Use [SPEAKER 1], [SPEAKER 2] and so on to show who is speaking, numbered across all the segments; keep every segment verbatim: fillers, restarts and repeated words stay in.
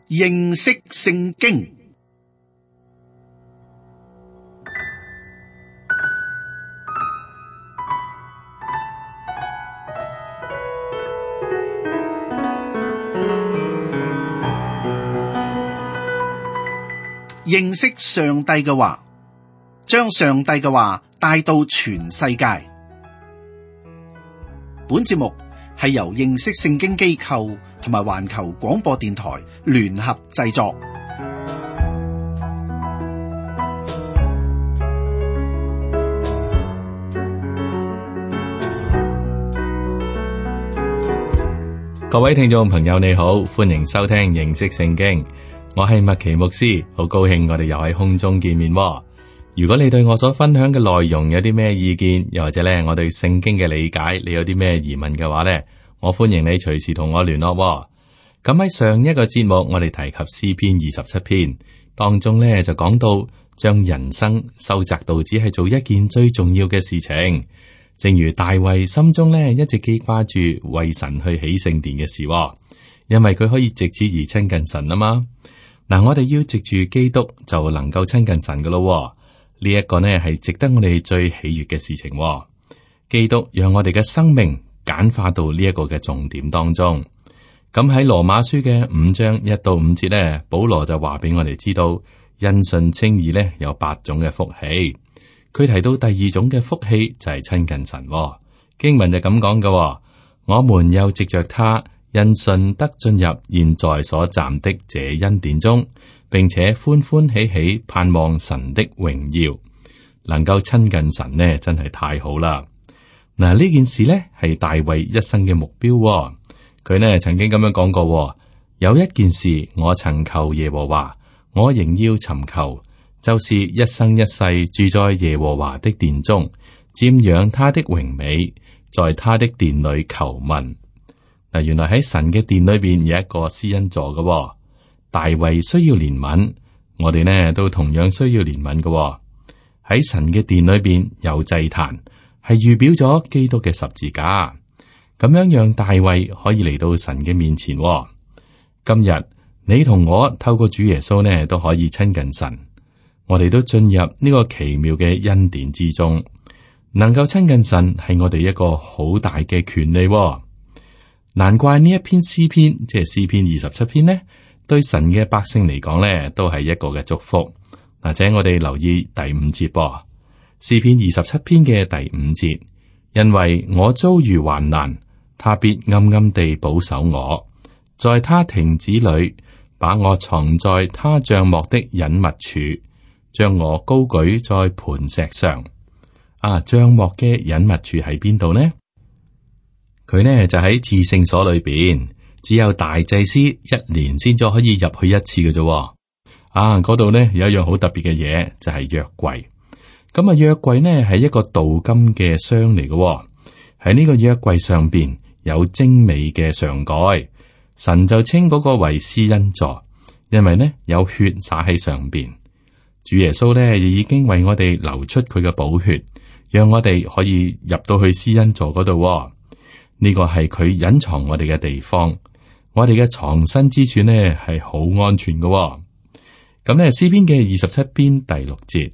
[SPEAKER 1] 認識聖經。認識上帝嘅話，將上帝嘅話帶到全世界。本節目係由認識聖經機構同埋環球廣播電台聯合製作。
[SPEAKER 2] 各位聽眾朋友你好，歡迎收聽認識聖經。我係麥奇牧師，好高興我哋又喺空中見面。如果你對我所分享嘅內容有啲咩意見，又或者咧我對聖經嘅理解，你有啲咩疑問嘅話咧，我歡迎你隨時同我聯絡。咁喺上一個節目，我哋提及詩篇二十七篇當中咧，就講到將人生收窄到只係做一件最重要嘅事情。正如大衛心中咧一直記掛住為神去起聖殿嘅事，因為佢可以藉此而親近神啊嘛。嗱，我哋要藉住基督就能夠親近神噶咯。呢一個呢係值得我哋最喜悅嘅事情。基督讓我哋嘅生命簡化到呢一個嘅重點當中。咁喺羅馬書嘅五章一到五節呢，保羅就話俾我哋知道，因信稱義呢有八種嘅福氣。佢提到第二種嘅福氣就係親近神。經文就咁講嘅，我們又藉着他。因信得進入現在所站的這恩典中，並且歡歡喜喜盼望神的榮耀，能夠親近神呢，真係太好啦！嗱，呢件事呢係大衛一生嘅目標。佢呢曾經咁樣講過：有一件事我曾求耶和華，我仍要尋求，就是一生一世住在耶和華的殿中，瞻仰他的榮美，在他的殿裏求問。嗱，原來喺神嘅殿裏邊有一個施恩座嘅。大衛需要憐憫，我哋呢都同樣需要憐憫嘅。喺神嘅殿裏邊有祭壇，係預表咗基督嘅十字架，咁樣讓大衛可以嚟到神嘅面前。今日你同我透過主耶穌呢都可以親近神，我哋都進入呢個奇妙嘅恩典之中，能夠親近神係我哋一個好大嘅權利。難怪呢一篇詩篇，即係詩篇二十七篇呢，對神嘅百姓嚟講呢，都係一個嘅祝福。或者我哋留意第五節噃，詩篇二十七篇嘅第五節，因為我遭遇患難，他必暗暗地保守我，在他亭子裏把我藏在他帳幕的隱密處，將我高舉在磐石上。啊，帳幕嘅隱密處喺邊度呢？佢呢就喺至聖所裏邊，只有大祭司一年先至可以入去一次嘅啫。啊，嗰度呢有一樣好特別嘅嘢，就係約櫃。咁啊，約櫃呢係一個鍍金嘅箱嚟嘅。喺呢個約櫃上邊有精美嘅上蓋，神就稱嗰個為施恩座，因為呢有血灑喺上邊。主耶穌呢亦已經為我哋流出佢嘅寶血，讓我哋可以入到去施恩座嗰度。呢個係佢隱藏我哋嘅地方，我哋嘅藏身之處呢係好安全嘅。咁呢詩篇嘅二十七篇第六節，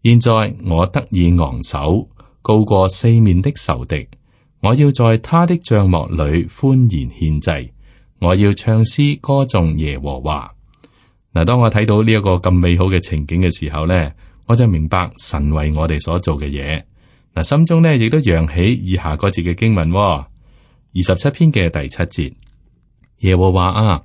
[SPEAKER 2] 現在我得以昂首，高過四面的仇敵，我要在他的帳幕裏歡然獻祭，我要唱詩歌頌耶和華。嗱，當我睇到呢一個咁美好嘅情景嘅時候呢，我就明白神為我哋所做嘅嘢。嗱，心中呢亦都揚起以下嗰節嘅經文。二十七篇嘅第七節，耶和華啊，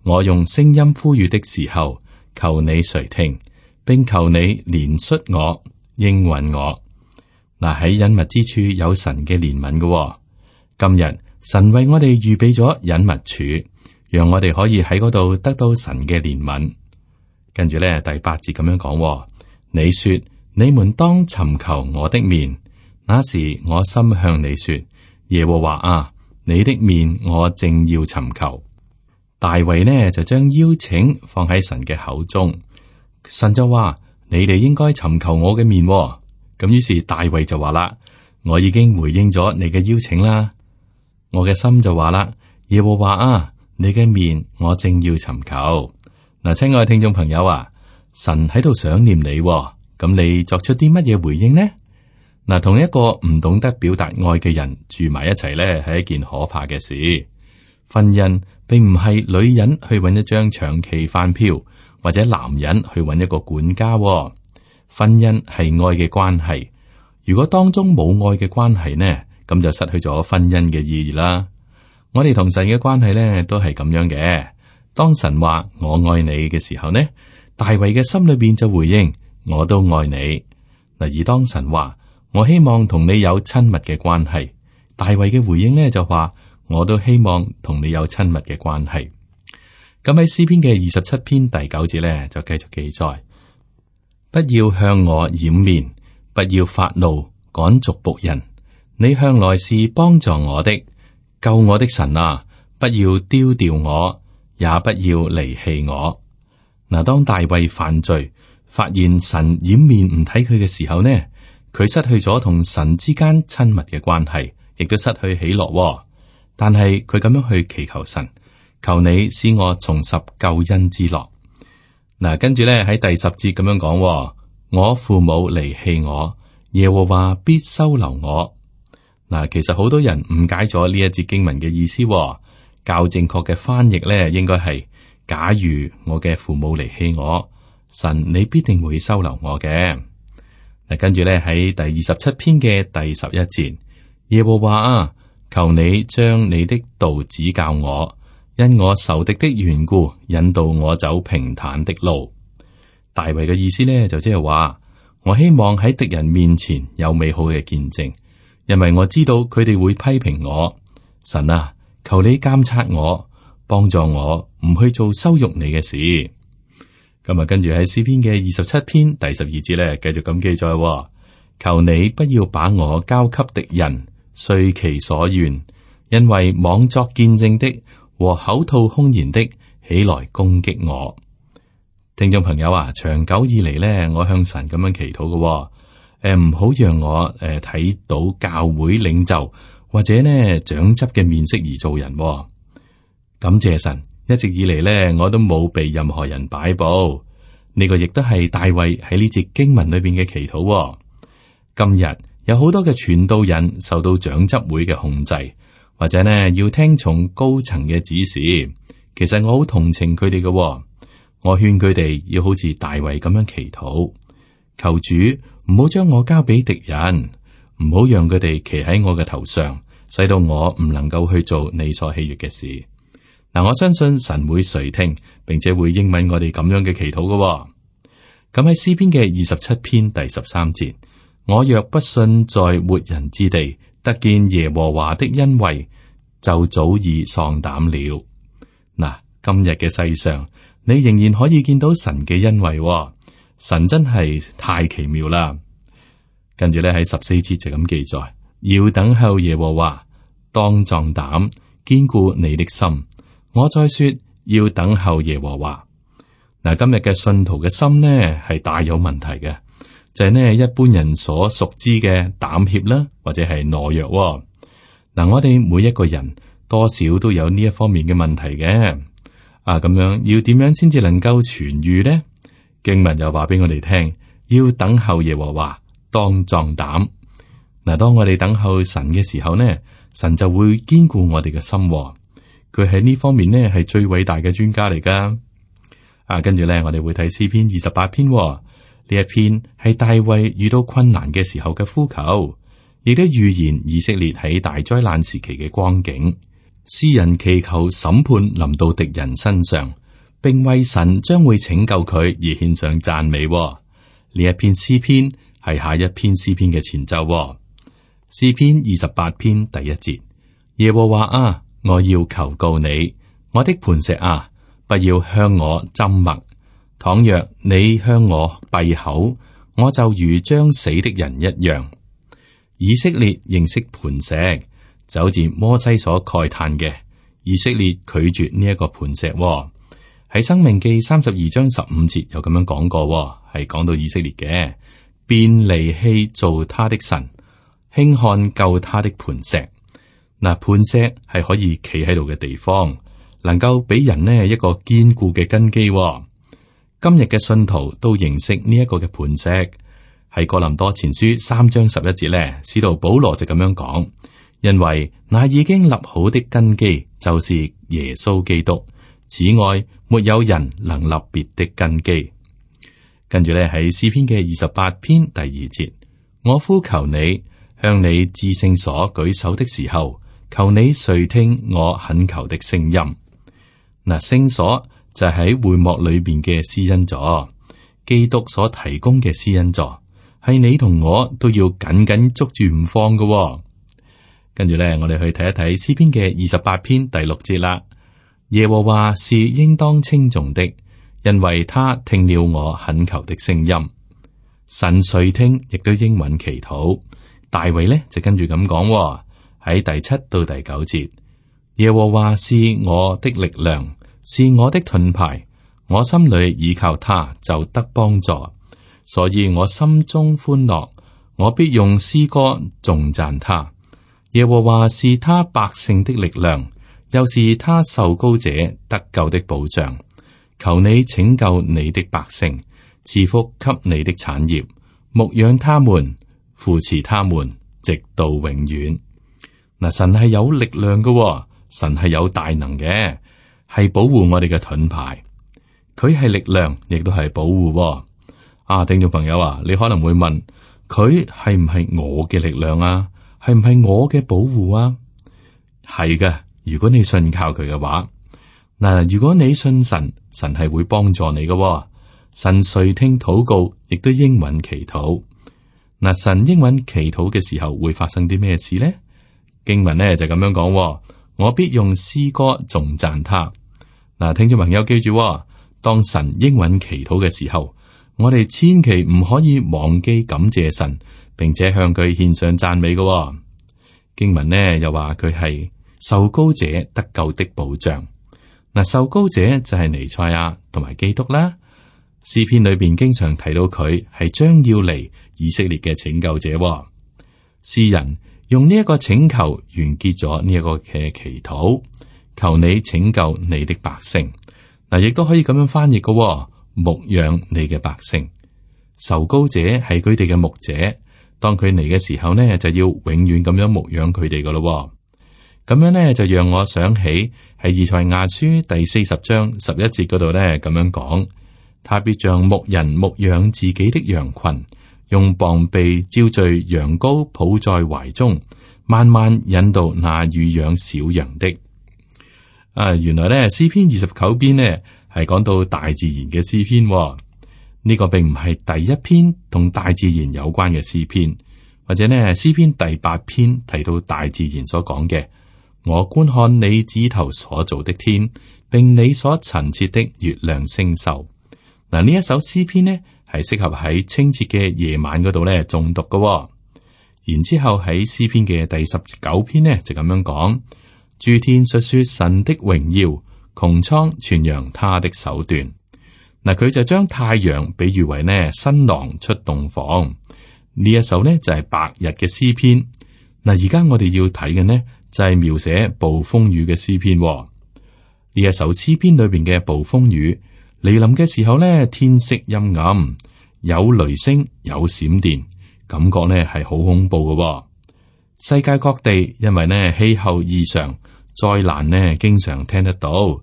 [SPEAKER 2] 我用聲音呼籲的時候，求你垂聽，並求你憐恤我，應允我。嗱，喺隱密之處有神嘅憐憫嘅。今日神為我哋預備咗隱密處，讓我哋可以喺嗰度得到神嘅憐憫。跟住咧第八節咁樣講，你說你們當尋求我的面，那時我心向你說，耶和華啊，你的面我正要尋求。大衛呢就將邀請放喺神嘅口中，神就話，你哋應該尋求我嘅面。咁於是大衛就話啦，我已經回應咗你嘅邀請啦。我嘅心就話啦，耶和華啊，你嘅面我正要尋求。嗱，親愛嘅聽眾朋友啊，神喺度想念你，咁你作出啲乜嘢回應呢？嗱，同一個唔懂得表達愛嘅人住埋一齊咧，係一件可怕嘅事。婚姻並唔係女人去揾一張長期飯票，或者男人去揾一個管家。婚姻係愛嘅關係，如果當中冇愛嘅關係呢，咁就失去咗婚姻嘅意義啦。我哋同神嘅關係呢，都係咁樣嘅。當神話我愛你嘅時候呢，大衛嘅心裏邊就回應我都愛你。嗱，而當神話我希望同你有親密嘅關係，大衛嘅回應呢就話我都希望同你有親密嘅關係。咁喺詩篇嘅二十七篇第九節呢，就繼續記載：不要向我掩面，不要發怒趕逐僕人。你向來是幫助我的，救我的神啊！不要丟掉我，也不要離棄我。嗱，當大衛犯罪，發現神掩面唔睇佢嘅時候呢，佢失去咗同神之間親密嘅關係，亦都失去喜樂。但係佢咁樣去祈求神，求你使我重拾救恩之樂。嗱，跟住咧喺第十節咁樣講：我父母離棄我，耶和華必收留我。嗱，其實好多人誤解咗呢一節經文嘅意思。較正確嘅翻譯咧，應該係：假如我嘅父母離棄我，神你必定會收留我嘅。嗱，跟住咧喺第二十七篇嘅第十一節，耶和華啊，求你將你的道指教我，因我仇敵的緣故，引導我走平坦的路。大衛嘅意思咧，就即係話，我希望喺敵人面前有美好嘅見證，因為我知道佢哋會批評我。神啊，求你監察我，幫助我唔去做羞辱你嘅事。咁啊，跟住喺詩篇嘅二十七篇第十二節咧，繼續咁記載：求你不要把我交給敵人，遂其所願，因為妄作見證的和口吐凶言的起來攻擊我。聽眾朋友啊，長久以嚟咧，我向神咁樣祈禱嘅，誒，唔好讓我誒睇到教會領袖或者呢長執嘅面色而做人。感謝神，一直以嚟咧，我都冇被任何人擺布。呢個亦都係大衛喺呢節經文裏邊嘅祈禱。今日有好多嘅傳道人受到長執會嘅控制，或者呢要聽從高層嘅指示。其實我好同情佢哋嘅，我勸佢哋要好似大衛咁樣祈禱，求主唔好將我交俾敵人，唔好讓佢哋騎喺我嘅頭上，使到我唔能夠去做你所喜悅嘅事。嗱，我相信神會垂聽，並且會應允我哋咁樣嘅祈禱嘅。咁喺詩篇嘅二十七篇第十三節，我若不信在活人之地得見耶和華的恩惠，就早已喪膽了。嗱，今日嘅世上，你仍然可以見到神嘅恩惠，神真係太奇妙啦。跟住咧喺十四節就咁記載：要等候耶和華，當壯膽，堅固你的心。我再說，要等候耶和華。嗱，今日嘅信徒嘅心呢係大有問題嘅，就係呢一般人所熟知嘅膽怯啦，或者係懦弱。嗱，我哋每一個人多少都有呢一方面嘅問題嘅。啊，咁樣要點樣先至能夠痊愈呢？經文又話俾我哋聽，要等候耶和華，當壯膽。嗱，當我哋等候神嘅時候呢，神就會堅固我哋嘅心。佢喺呢方面呢係最偉大嘅專家嚟噶。啊，跟住咧我哋會睇詩篇二十八篇，呢一篇係大衛遇到困難嘅時候嘅呼求，亦都預言以色列喺大災難時期嘅光景。詩人祈求審判臨到敵人身上，並為神將會拯救佢而獻上讚美。呢一篇詩篇係下一篇詩篇嘅前奏。詩篇二十八篇第一節：耶和華啊，我要求告你，我的磐石啊，不要向我緘默。倘若你向我閉口，我就如將死的人一樣。以色列認識磐石，就好似摩西所慨嘆嘅，以色列拒絕呢一個磐石。喺申命記三十二章十五節有咁樣講過，係講到以色列嘅，便離棄造他的神，輕看救他的磐石。嗱，磐石係可以企喺度嘅地方，能夠俾人呢一個堅固嘅根基。今日嘅信徒都認識呢一個嘅磐石，喺哥林多前書三章十一節咧，使徒保羅就咁樣講，因為那已經立好的根基就是耶穌基督，此外沒有人能立別的根基。跟住咧喺詩篇嘅二十八篇第二節，我呼求你，向你至聖所舉手的時候，求你垂聽我懇求的聲音。嗱，聖所就喺會幕裏邊嘅施恩座，基督所提供嘅施恩座，係你同我都要緊緊捉住唔放嘅。跟住咧，我哋去睇一睇詩篇嘅二十八篇第六節啦。耶和華是應當稱頌的，因為他聽了我懇求的聲音。神垂聽，亦都應允祈禱。大衛呢就跟住咁講喺第七到第九節，耶和華是我的力量，是我的盾牌，我心裏倚靠他就得幫助，所以我心中歡樂，我必用詩歌頌讚他。耶和華是他百姓的力量，又是他受膏者得救的保障。求你拯救你的百姓，賜福給你的產業，牧養他們，扶持他們，直到永遠。嗱，神係有力量嘅，神係有大能嘅，係保護我哋嘅盾牌。佢係力量，亦都係保護。啊，聽眾朋友啊，你可能會問，佢係唔係我嘅力量啊？係唔係我嘅保護啊？係嘅，如果你信靠佢嘅話，嗱，如果你信神，神係會幫助你嘅。神垂聽禱告，亦都應允祈禱。嗱，神應允祈禱嘅時候會發生啲咩事呢？經文呢就咁樣講，我必用詩歌頌讚他。嗱，聽眾朋友記住，當神應允祈禱嘅時候，我哋千祈唔可以忘記感謝神，並且向佢獻上讚美嘅。經文呢又話佢係受膏者得救的保障。嗱，受膏者就係彌賽亞同埋基督啦。詩篇裏邊經常提到佢係將要嚟以色列嘅拯救者。詩人用呢一個請求完結咗呢一個嘅祈禱，求你拯救你的百姓。嗱，亦都可以咁樣翻譯嘅，牧養你嘅百姓。受膏者係佢哋嘅牧者，當佢嚟嘅時候呢，就要永遠咁樣牧養佢哋噶咯。咁樣呢，就讓我想起喺以賽亞書第四十章十一節嗰度呢，咁樣講，他必像牧人牧養自己的羊群，用膀臂招聚羊羔，抱在懷中，慢慢引導那乳養小羊的。啊，原來呢詩篇二十九篇呢係講到大自然嘅詩篇，呢、這個並唔係第一篇同大自然有關嘅詩篇，或者呢詩篇第八篇提到大自然所講嘅。我觀看你指頭所造的天，並你所陳設的月亮星宿。嗱，呢一首詩篇呢係適合喺清澈嘅夜晚嗰度咧誦讀嘅。然之後喺詩篇嘅第十九篇呢就咁樣講：諸天述說神的榮耀，穹蒼傳揚他的手段。嗱，佢就將太陽比喻為呢新郎出洞房。呢一首呢就係白日嘅詩篇。嗱，而家我哋要睇嘅呢就係描寫暴風雨嘅詩篇。呢一首詩篇裏邊嘅暴風雨嚟臨嘅時候呢，天色陰暗，有雷聲，有閃電，感覺呢係好恐怖嘅。世界各地因為呢氣候異常，災難呢經常聽得到。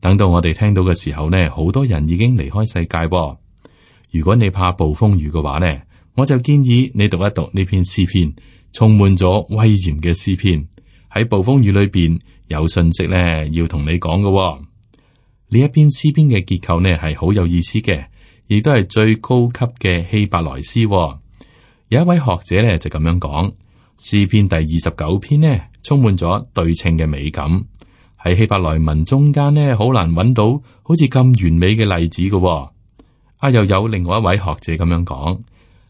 [SPEAKER 2] 等到我哋聽到嘅時候呢，好多人已經離開世界。如果你怕暴風雨嘅話呢，我就建議你讀一讀呢篇詩篇，充滿咗威嚴嘅詩篇。喺暴風雨裏邊有信息咧，要同你講嘅。呢一篇詩篇嘅結構呢係好有意思嘅，亦都係最高級嘅希伯來詩。有一位學者咧就咁樣講，詩篇第二十九篇呢充滿咗對稱嘅美感。喺希伯來文中間呢，好難揾到好似咁完美嘅例子嘅。啊，又有另外一位學者咁樣講，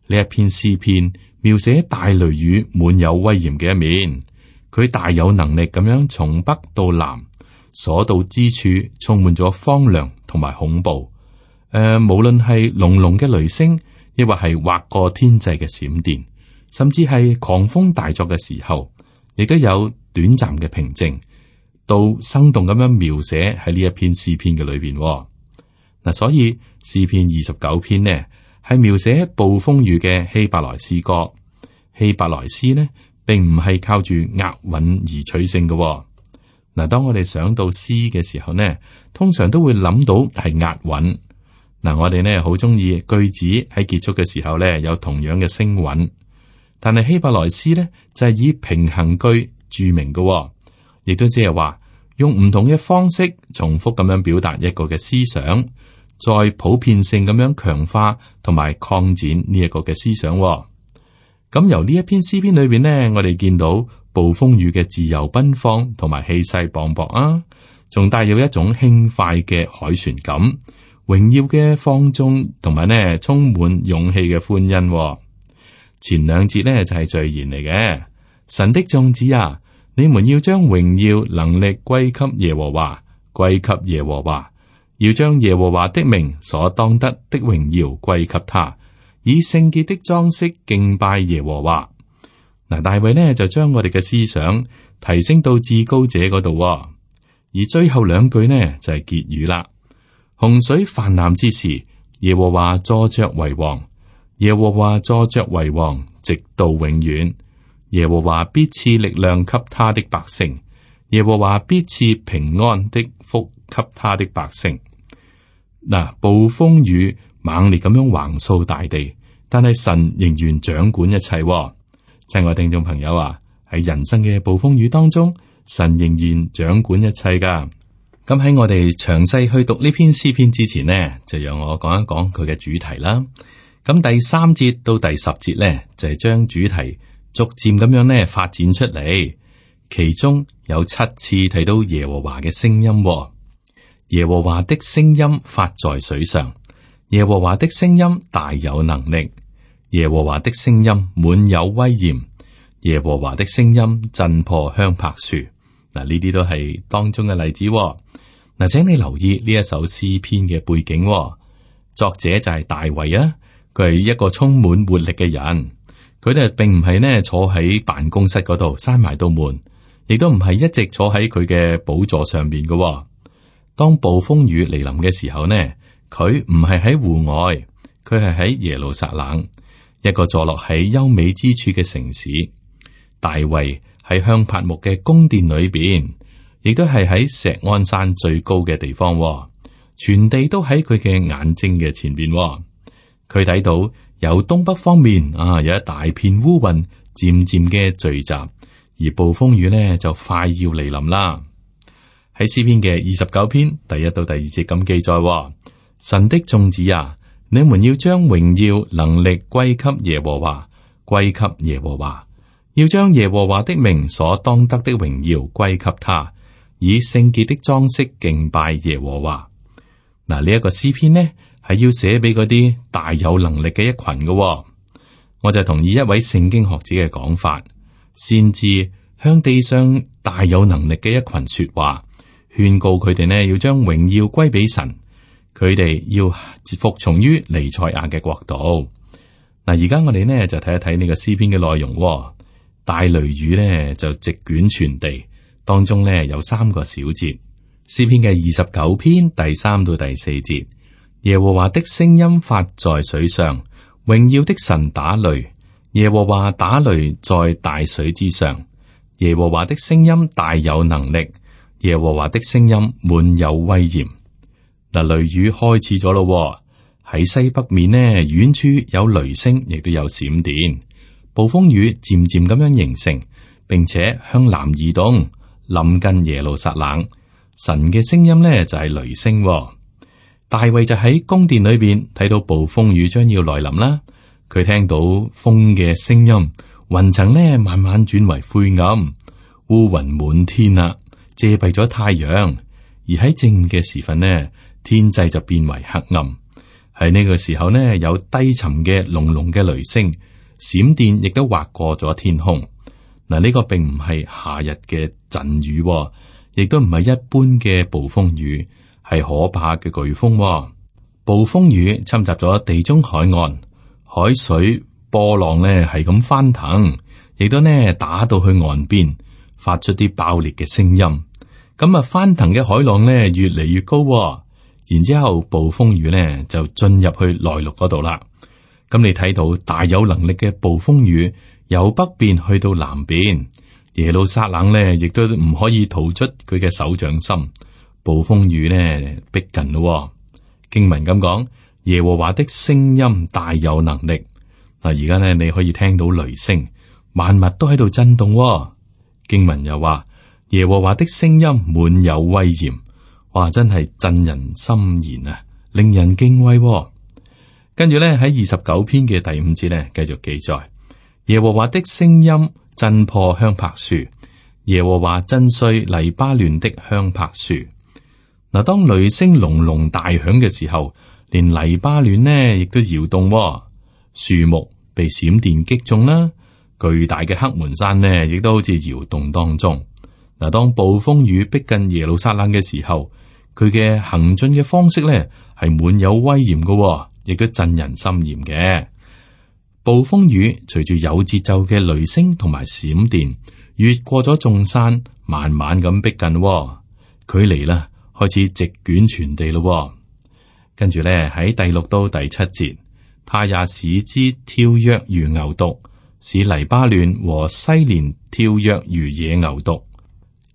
[SPEAKER 2] 呢一篇詩篇描寫大雷雨滿有威嚴嘅一面。佢大有能力咁樣從北到南，所到之處充滿咗荒涼同埋恐怖。誒、呃，無論係隆隆嘅雷聲，亦或係劃過天際嘅閃電，甚至係狂風大作嘅時候，亦都有短暫嘅平靜，到生動咁樣描寫喺呢一篇詩篇嘅裏邊。嗱，所以詩篇二十九篇呢係描寫暴風雨嘅希伯來詩歌。希伯來詩呢並唔係靠住押韻而取勝嘅。嗱，當我哋想到詩嘅時候呢，通常都會諗到係押韻。嗱，我哋呢好中意句子喺結束嘅時候呢有同樣嘅聲韻，但係希伯來詩呢就係以平衡句著名嘅，亦都即係話用唔同嘅方式重複咁樣表達一個嘅思想，再普遍性咁樣強化同埋擴展呢一個嘅思想。咁由呢一篇詩篇裏邊呢，我哋見到暴風雨嘅自由奔放同埋氣勢磅礴啊，仲帶有一種輕快嘅凱旋感。榮耀嘅放縱，同埋呢充滿勇氣嘅歡欣。前兩節呢就係序言嚟嘅。神的眾子啊，你們要將榮耀能力歸給耶和華，歸給耶和華，要將耶和華的名所當得的榮耀歸給他，以聖潔的裝飾敬拜耶和華。嗱，大衛呢就將我哋嘅思想提升到至高者嗰度，而最後兩句呢就係結語啦。洪水泛濫之時，耶和華坐着為王，耶和華坐着為王，直到永遠。耶和華必賜力量給他的百姓，耶和華必賜平安的福給他的百姓。嗱，暴風雨猛烈咁樣橫掃大地，但係神仍然掌管一切。親愛聽眾朋友啊，喺人生嘅暴風雨當中，神仍然掌管一切噶。咁喺我哋詳細去讀呢篇詩篇之前呢，就讓我講一講佢嘅主題啦。咁第三節到第十節呢，就係將主題逐漸咁樣呢發展出嚟，其中有七次提到耶和華嘅聲音。耶和華的聲音發在水上，耶和華的聲音大有能力，耶和華的聲音滿有威嚴，耶和華的聲音震破香柏樹。嗱，呢啲都係當中嘅例子。嗱，請你留意呢一首詩篇嘅背景，作者就係大衛啊，佢係一個充滿活力嘅人，佢哋並唔係呢坐喺辦公室嗰度閂埋道門，亦都唔係一直坐喺佢嘅寶座上邊嘅。當暴風雨嚟臨嘅時候呢，佢唔係喺戶外，佢係喺耶路撒冷，一個坐落喺優美之處嘅城市。大衛喺香柏木嘅宮殿裏邊，亦都係喺錫安山最高嘅地方，全地都喺佢嘅眼睛嘅前邊。佢睇到由東北方面啊，有一大片烏雲漸漸嘅聚集，而暴風雨呢就快要嚟臨啦。喺詩篇嘅二十九篇第一到第二節咁記載：神的眾子啊，你們要將榮耀能力歸給耶和華，歸給耶和華，要將耶和華的名所當得的榮耀歸給他，以聖潔的裝飾敬拜耶和華。嗱，呢一個詩篇呢係要寫俾嗰啲大有能力嘅一群嘅。我就同意一位聖經學者嘅講法，先至向地上大有能力嘅一群說話，勸告佢哋呢要將榮耀歸俾神，佢哋要服從於彌賽亞嘅國度。嗱，而家我哋呢就睇一睇呢個詩篇嘅內容。大雷雨呢就席捲全地，當中呢有三個小節。詩篇嘅二十九篇第三到第四節，耶和華的聲音發在水上，榮耀的神打雷，耶和華打雷在大水之上，耶和華的聲音大有能力，耶和華的聲音滿有威嚴。嗱，雷雨開始咗咯，喺西北面呢，遠處有雷聲，亦都有閃電，暴風雨漸漸咁樣形成，並且向南移動，臨近耶路撒冷。神嘅聲音呢就係雷聲。大衛就喺宮殿裏邊睇到暴風雨將要來臨啦。佢聽到風嘅聲音，雲層呢慢慢轉為灰暗，烏雲滿天啦，遮蔽咗太陽。而喺正午嘅時分呢，天際就變為黑暗。喺呢個時候呢，有低沉嘅隆隆嘅雷聲，閃電亦都劃過咗天空。嗱，呢個並唔係夏日嘅陣雨，亦都唔係一般嘅暴風雨，係可怕嘅颶風。暴風雨侵襲咗地中海岸，海水波浪呢係咁翻騰，亦都呢打到去岸邊，發出啲爆裂嘅聲音。咁啊，翻騰嘅海浪呢越嚟越高，然之後暴風雨咧就進入去內陸嗰度啦。咁你睇到大有能力嘅暴風雨由北邊去到南邊，耶路撒冷咧亦都唔可以逃出佢嘅手掌心。暴風雨咧逼近咯。經文咁講，耶和華的聲音大有能力。嗱，而家咧你可以聽到雷聲，萬物都喺度震動。經文又話，耶和華的聲音滿有威嚴。哇，真係震人心弦啊，令人敬畏。跟住咧喺二十九篇嘅第五節咧，繼續記載，耶和華的聲音震破香柏樹，耶和華震碎黎巴嫩的香柏樹。嗱，當雷聲隆隆大響嘅時候，連黎巴嫩呢亦都搖動，樹木被閃電擊中啦，巨大嘅黑門山呢亦都好似搖動當中。嗱，當暴風雨逼近耶路撒冷嘅時候，佢嘅行進嘅方式咧係滿有威嚴嘅，亦都震人心弦嘅。暴風雨隨住有節奏嘅雷聲同埋閃電，越過咗眾山，慢慢咁逼近，距離啦開始席捲全地咯。跟住咧喺第六到第七節，他也使之跳躍如牛犢，使黎巴嫩和西連跳躍如野牛犢。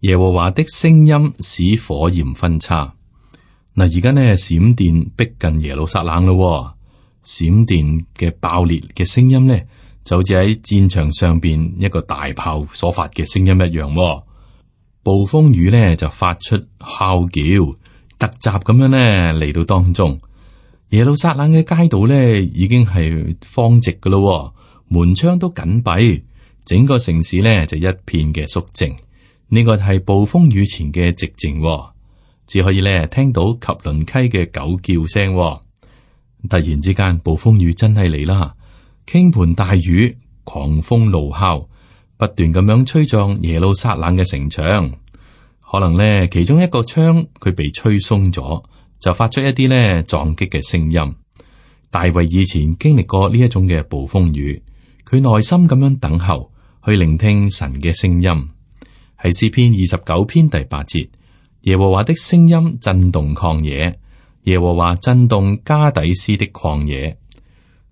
[SPEAKER 2] 耶和華的聲音使火焰分叉。嗱，而家呢閃電逼近耶路撒冷咯，閃電嘅爆裂嘅聲音呢，就好似喺戰場上邊一個大炮所發嘅聲音一樣。暴風雨呢就發出哮叫，突襲咁樣呢嚟到當中。耶路撒冷嘅街道呢已經係荒寂噶咯，門窗都緊閉，整個城市呢就一片嘅肅靜。呢個係暴風雨前嘅寂靜，只可以咧聽到及倫溪嘅狗叫聲。突然之間，暴風雨真係嚟啦，傾盆大雨，狂風怒號，不斷咁樣吹撞耶路撒冷嘅城牆。可能咧其中一個窗佢被吹鬆咗，就發出一啲咧撞擊嘅聲音。大衛以前經歷過呢一種嘅暴風雨，佢耐心咁樣等候，去聆聽神嘅聲音。喺詩篇二十九篇第八節，耶和華的聲音震動曠野，耶和華震動加底斯的曠野。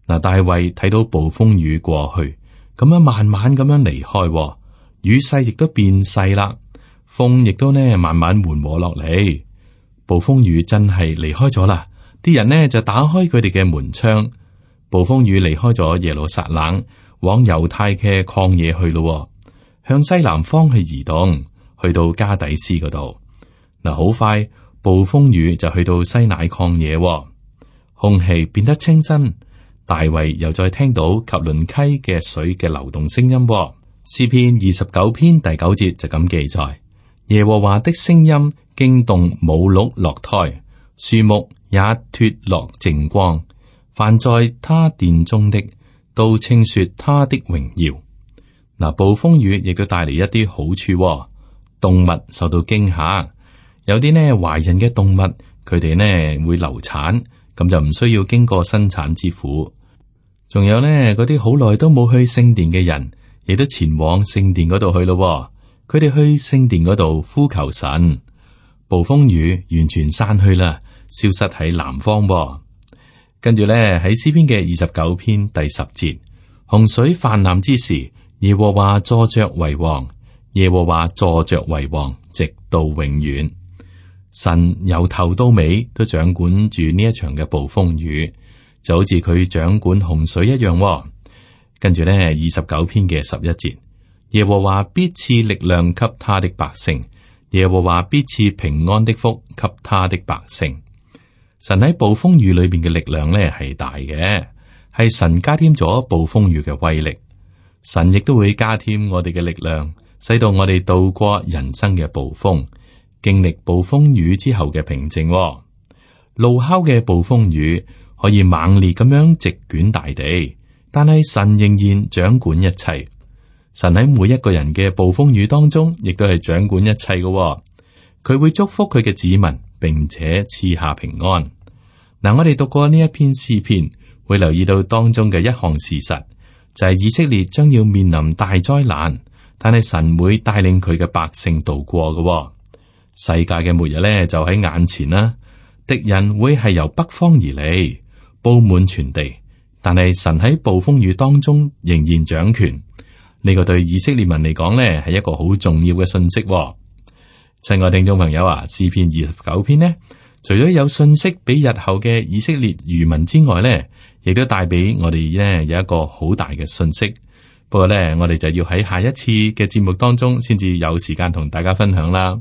[SPEAKER 2] 嗱，大衛睇到暴風雨過去，咁樣慢慢咁樣離開，雨勢亦都變細啦，風亦都呢慢慢緩和落嚟。暴風雨真係離開咗啦，啲人呢就打開佢哋嘅門窗。暴風雨離開咗耶路撒冷，往猶太嘅曠野去咯。向西南方去移動，去到加底斯嗰度。嗱，好快暴風雨就去到西乃曠野，空氣變得清新。大衛又再聽到及倫溪嘅水嘅流動聲音。詩篇二十九篇第九節就咁記載：耶和華的聲音驚動母鹿落胎，樹木也脫落淨光。凡在他殿中的，都稱說他的榮耀。嗱，暴風雨亦都帶嚟一啲好處，動物受到驚嚇，有啲呢懷孕嘅動物，佢哋呢會流產，咁就唔需要經過生產之苦。仲有呢嗰啲好耐都冇去聖殿嘅人，亦都前往聖殿嗰度去咯。佢哋去聖殿嗰度呼求神，暴風雨完全散去啦，消失喺南方。跟住呢喺詩篇嘅二十九篇第十節，洪水泛濫之時，耶和華坐着為王，耶和華坐着為王，直到永遠。神由頭到尾都掌管住呢一場嘅暴風雨，就好似佢掌管洪水一樣。跟住呢，二十九篇嘅十一節，耶和華必賜力量給他的百姓，耶和華必賜平安的福給他的百姓。神喺暴風雨裏邊嘅力量呢係大嘅，係神加添咗暴風雨嘅威力。神亦都會加添我哋嘅力量，使到我哋度過人生嘅暴風，經歷暴風雨之後嘅平靜。怒吼嘅暴風雨可以猛烈咁樣席捲大地，但係神仍然掌管一切。神喺每一個人嘅暴風雨當中，亦都係掌管一切嘅。佢會祝福佢嘅子民，並且賜下平安。嗱，我哋讀過呢一篇詩篇，會留意到當中嘅一項事實。就係以色列將要面臨大災難，但係神會帶領佢嘅百姓度過嘅。世界嘅末日咧就喺眼前啦，敵人會係由北方而嚟，布滿全地。但係神喺暴風雨當中仍然掌權，呢個對以色列民嚟講呢係一個好重要嘅信息。親愛聽眾朋友啊，詩篇二十九篇呢，除咗有信息俾日後嘅以色列餘民之外呢，亦都帶俾我哋呢有一個好大嘅信息。不過呢，我哋就要喺下一次嘅節目當中先至有時間同大家分享啦。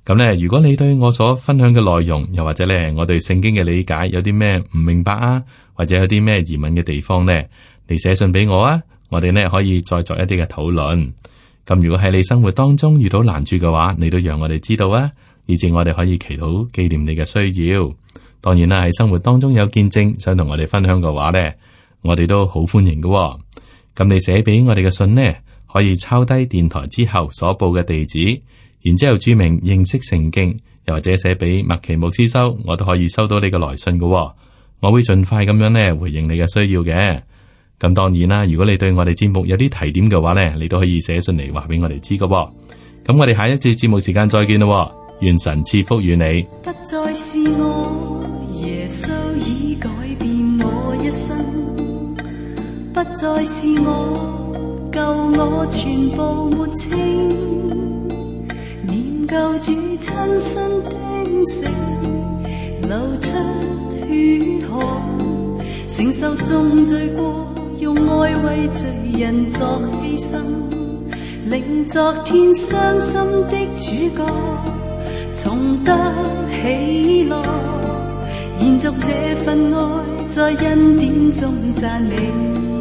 [SPEAKER 2] 咁呢，如果你對我所分享嘅內容，又或者呢我對聖經嘅理解有啲咩唔明白啊，或者有啲咩疑問嘅地方呢，你寫信俾我啊，我哋呢可以再作一啲嘅討論。咁如果喺你生活當中遇到難處嘅話，你都讓我哋知道啊，以至我哋可以祈禱紀念你嘅需要。當然啦，喺生活當中有見證想同我哋分享嘅話呢，我哋都好歡迎嘅。咁你寫俾我哋嘅信呢，可以抄低電台之後所報嘅地址，然之後注明認識聖經，又或者寫俾麥奇牧師收，我都可以收到你嘅來信嘅。我會盡快咁樣呢回應你嘅需要嘅。咁當然啦，如果你對我哋節目有啲提點嘅話呢，你都可以寫信嚟話俾我哋知嘅。咁我哋下一次節目時間再見咯。願神賜福與你。
[SPEAKER 3] 不再是我，耶穌已改變我一生。不再是我，救我全部沒清。念救主親身釘死，流出血汗，承受重罪過，用愛為罪人作犧牲，令昨天傷心的主角重得喜樂，延續這份愛，在恩典中讚美。